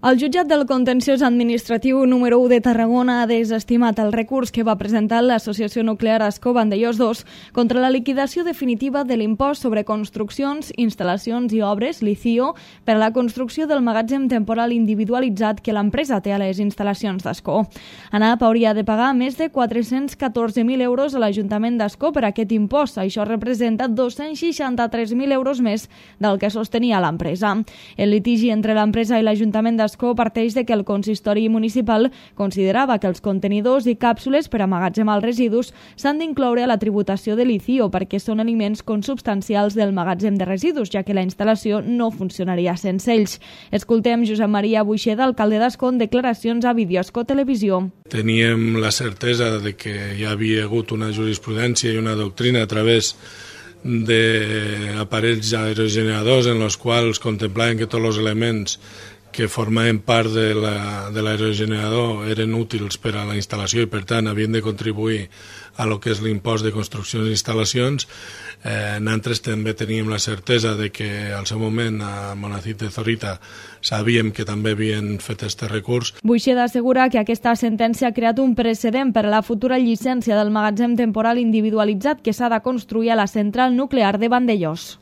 El jutjat del contenciós administratiu número 1 de Tarragona ha desestimat el recurs que va presentar l'Associació Nuclear Ascó Vandellòs II contra la liquidació definitiva de l'impost sobre construccions, instal·lacions i obres, l'ICIO, per a la construcció del magatzem temporal individualitzat que l'empresa té a les instal·lacions d'Ascó. ANAP hauria de pagar més de 414.000 euros a l'Ajuntament d'Ascó per aquest impost. Això representa 263.000 euros més del que sostenia l'empresa. El litigi entre l'empresa i l'Ajuntament d'Ascó parteix de que el consistori municipal considerava que els contenidors i càpsules per emmagatzemar els residus s'han d'incloure a la tributació de l'ICIO perquè són aliments consubstancials del magatzem de residus, ja que la instal·lació no funcionaria sense ells. Escoltem Josep Maria Buixeda, alcalde d'Ascó, en declaracions a Videoascó Televisió. Teníem la certesa de que hi havia hagut una jurisprudència i una doctrina a través d'aparells aerogeneradors en els quals contemplaven que tots els elements que formaven part de l'aerogenerador eren útils per a la instal·lació i, per tant, havien de contribuir a lo que és l'impost de construccions i instal·lacions. Nosaltres també teníem la certesa de que al seu moment a Monacit de Zorita sabíem que també havien fet aquest recurs. Buixeda assegura que aquesta sentència ha creat un precedent per a la futura llicència del magatzem temporal individualitzat que s'ha de construir a la central nuclear de Vandellòs.